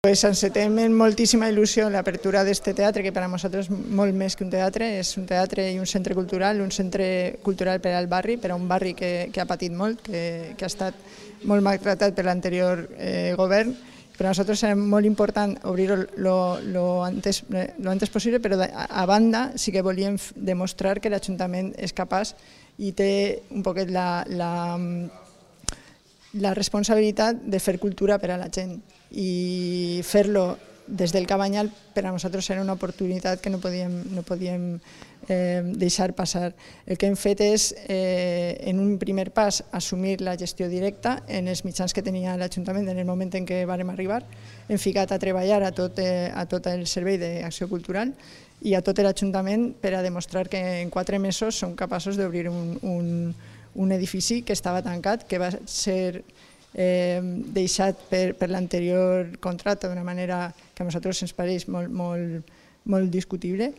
Pues encetem amb moltíssima il·lusió l'apertura d'aquest teatre, que per a nosaltres és molt més que un teatre, és un teatre i un centre cultural per al barri, per a un barri que ha patit molt, que ha estat molt maltratat per l'anterior govern. Per a nosaltres és molt important obrir-ho lo antes possible, però a banda sí que volíem demostrar que l'Ajuntament és capaç i té un poquet la responsabilitat de fer cultura per a la gent, i fer-lo des del Cabanyal per a nosaltres era una oportunitat que no podíem deixar passar. El que hem fet és, en un primer pas, assumir la gestió directa en els mitjans que tenia l'Ajuntament en el moment en què vàrem arribar. Hem ficat a treballar a tot el servei d'acció cultural i a tot l'Ajuntament per a demostrar que en 4 mesos som capaços d'obrir un edifici que estava tancat, que va ser deixat per l'anterior contracte d'una manera que a nosaltres ens pareix molt discutible,